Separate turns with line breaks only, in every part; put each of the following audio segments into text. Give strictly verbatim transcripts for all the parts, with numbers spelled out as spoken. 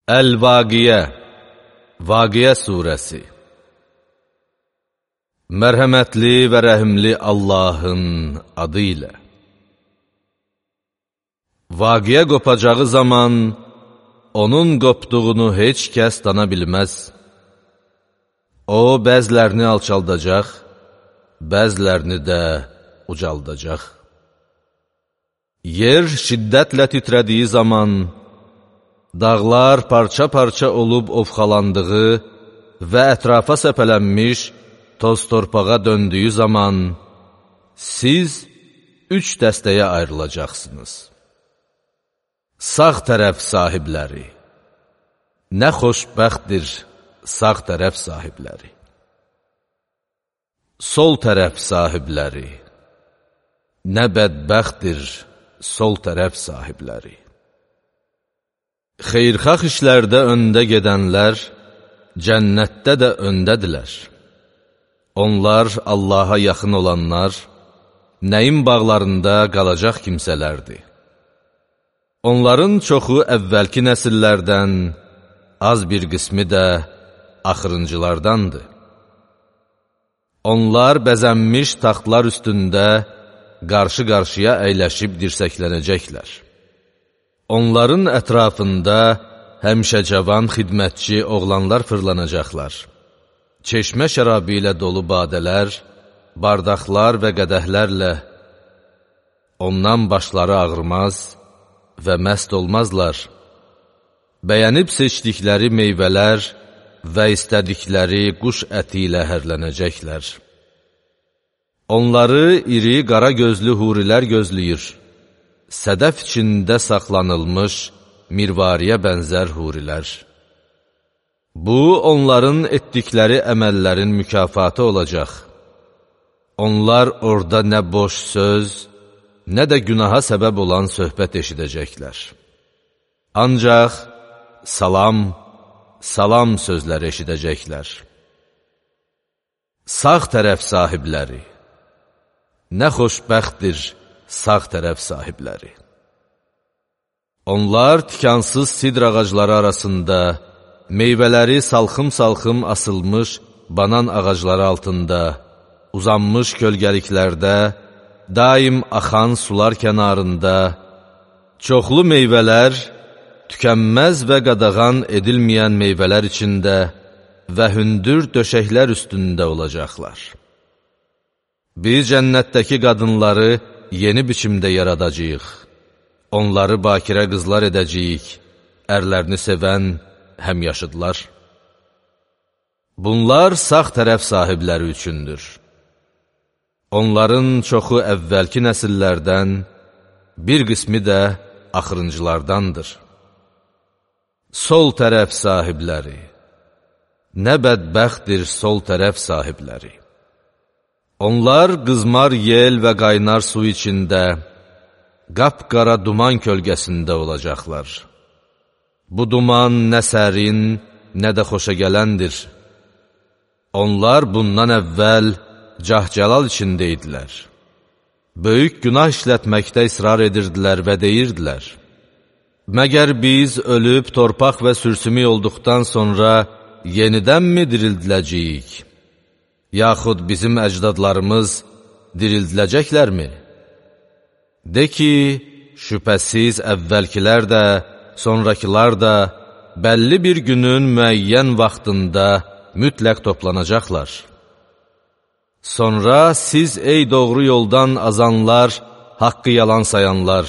Əl-Vaqiyə, Vaqiyə surəsi. Mərhəmətli və rəhimli Allahın adı ilə. Vaqiyə qopacağı zaman, onun qopduğunu heç kəs dana bilməz. O, bəzlərini alçaldacaq, bəzlərini də ucaldacaq. Yer şiddətlə titrədiyi zaman, dağlar parça-parça olub ovxalandığı və ətrafa səpələnmiş toz torpağa döndüyü zaman, siz üç dəstəyə ayrılacaqsınız. Sağ tərəf sahibləri, nə xoşbəxtdir sağ tərəf sahibləri. Sol tərəf sahibləri, nə bədbəxtdir sol tərəf sahibləri. Xeyrxax işlərdə öndə gedənlər, cənnətdə də öndədirlər. Onlar Allaha yaxın olanlar, nəyin bağlarında qalacaq kimsələrdir. Onların çoxu əvvəlki nəsillərdən, az bir qismi də axırıncılardandır. Onlar bəzənmiş taxtlar üstündə qarşı-qarşıya əyləşib dirsəklənəcəklər. Onların ətrafında həmişə cavan xidmətçi oğlanlar fırlanacaqlar. Çeşmə şərabı ilə dolu badələr, bardaqlar və qədəhlərlə ondan başları ağrımaz və məst olmazlar. Bəyənib seçdikləri meyvələr və istədikləri quş əti ilə hərlənəcəklər. Onları iri qara gözlü hurilər gözləyir. Sədəf içində saxlanılmış mirvariyə bənzər hurilər. Bu, onların etdikləri əməllərin mükafatı olacaq. Onlar orada nə boş söz, nə də günaha səbəb olan söhbət eşidəcəklər. Ancaq salam, salam sözləri eşidəcəklər. Sağ tərəf sahibləri, nə xoşbəxtdir sağ tərəf sahibləri. Onlar tikansız sidr ağacları arasında, meyvələri salxım-salxım asılmış banan ağacları altında, uzanmış kölgəliklərdə, daim axan sular kənarında, çoxlu meyvələr, tükənməz və qadağan edilməyən meyvələr içində və hündür döşəklər üstündə olacaqlar. Biz cənnətdəki qadınları yeni biçimdə yaradacağıq. Onları bakirə qızlar edəcəyik, ərlərini sevən həmyaşıdlar. Bunlar sağ tərəf sahibləri üçündür. Onların çoxu əvvəlki nəsillərdən, bir qismi də axırıncılardandır. Sol tərəf sahibləri, nə bədbəxtdir sol tərəf sahibləri. Onlar qızmar yel və qaynar su içində, qapqara duman kölgəsində olacaqlar. Bu duman nə sərin, nə də xoşa gələndir. Onlar bundan əvvəl cah-cəlal içində idilər. Böyük günah işlətməkdə israr edirdilər və deyirdilər: məgər biz ölüb torpaq və sürsümük olduqdan sonra yenidənmi dirildiləcəyik? Yaxud bizim əcdadlarımız dirildiləcəklərmi? De ki, şübhəsiz əvvəlkilər də, sonrakılar da bəlli bir günün müəyyən vaxtında mütləq toplanacaqlar. Sonra siz ey doğru yoldan azanlar, haqqı yalan sayanlar,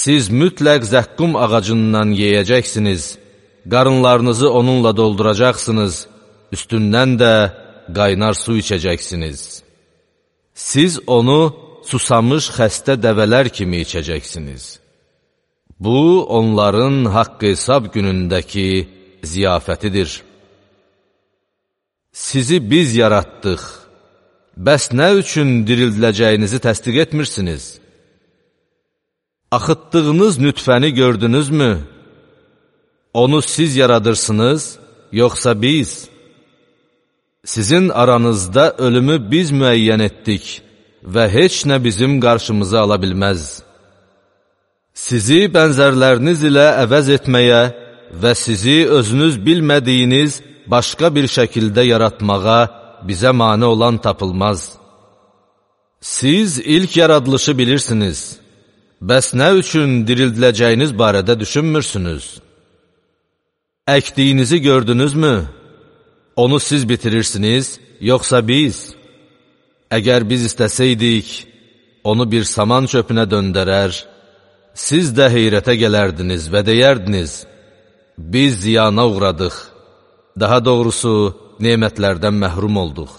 siz mütləq zəqqum ağacından yeyəcəksiniz, qarınlarınızı onunla dolduracaqsınız, üstündən də qaynar su içəcəksiniz. Siz onu susamış xəstə dəvələr kimi içəcəksiniz. Bu, onların haqq hesab günündəki ziyafətidir. Sizi biz yaratdıq, bəs nə üçün dirildiləcəyinizi təsdiq etmirsiniz? Axıtdığınız nütfəni gördünüzmü? Onu siz yaradırsınız, yoxsa biz? Sizin aranızda ölümü biz müəyyən etdik və heç nə bizim qarşımıza ala bilməz. Sizi bənzərləriniz ilə əvəz etməyə və sizi özünüz bilmədiyiniz başqa bir şəkildə yaratmağa bizə mane olan tapılmaz. Siz ilk yaradılışı bilirsiniz. Bəs nə üçün dirildiləcəyiniz barədə düşünmürsünüz? Əkdiyinizi gördünüzmü? Onu siz bitirirsiniz, yoxsa biz? Əgər biz istəsəydik, onu bir saman çöpünə döndərər, siz də heyrətə gələrdiniz və deyərdiniz, biz ziyana uğradıq, daha doğrusu nemətlərdən məhrum olduq.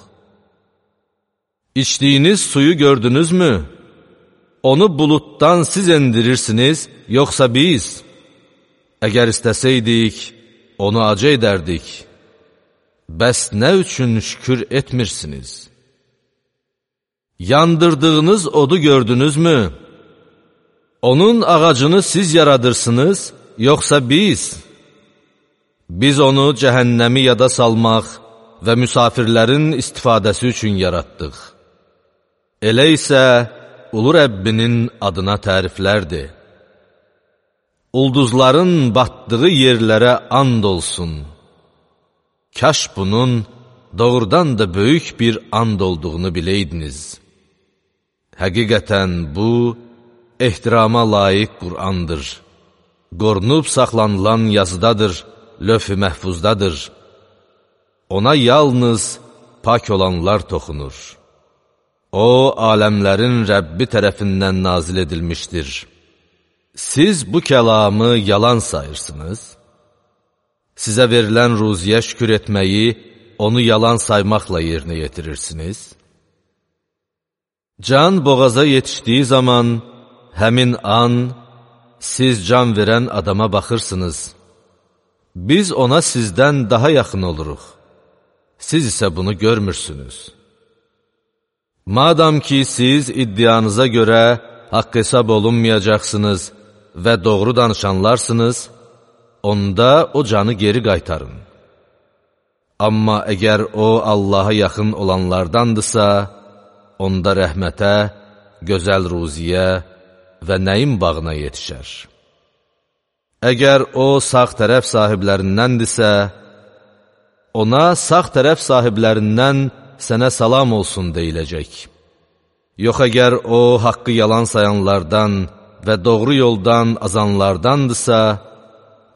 İçdiyiniz suyu gördünüzmü? Onu buluddan siz endirirsiniz, yoxsa biz? Əgər istəsəydik, onu acı edərdik. Bəs nə üçün şükür etmirsiniz? Yandırdığınız odu gördünüzmü? Onun ağacını siz yaradırsınız, yoxsa biz? Biz onu cəhənnəmi yada salmaq və müsafirlərin istifadəsi üçün yaratdıq. Elə isə Ulu Rəbbinin adına təriflərdir. Ulduzların batdığı yerlərə and olsun. Kaş bunun doğrudan da böyük bir and olduğunu biləydiniz. Həqiqətən bu, ehtirama layiq Qur'andır. Qorunub saxlanılan yazıdadır, löf-i məhfuzdadır. Ona yalnız pak olanlar toxunur. O, aləmlərin Rəbbi tərəfindən nazil edilmişdir. Siz bu kəlamı yalan sayırsınız. Sizə verilən ruziyə şükür etməyi, onu yalan saymaqla yerinə yetirirsiniz. Can boğaza yetişdiyi zaman, həmin an, siz can verən adama baxırsınız. Biz ona sizdən daha yaxın oluruq. Siz isə bunu görmürsünüz. Madam ki, siz iddianıza görə haqq hesab olunmayacaqsınız və doğru danışanlarsınız, onda o canı geri qaytarın. Amma əgər o Allaha yaxın olanlardandırsa, onda rəhmətə, gözəl ruziyə və nəyin bağına yetişər. Əgər o sağ tərəf sahiblərindəndirsə, ona sağ tərəf sahiblərindən sənə salam olsun deyiləcək. Yox, əgər o haqqı yalan sayanlardan və doğru yoldan azanlardandırsa,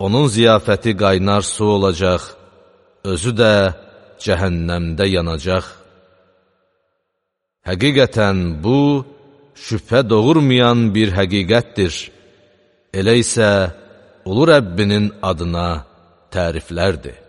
onun ziyafəti qaynar su olacaq, özü də cəhənnəmdə yanacaq. Həqiqətən bu, şübhə doğurmayan bir həqiqətdir. Elə isə Ulu Rəbbinin adına təriflərdir.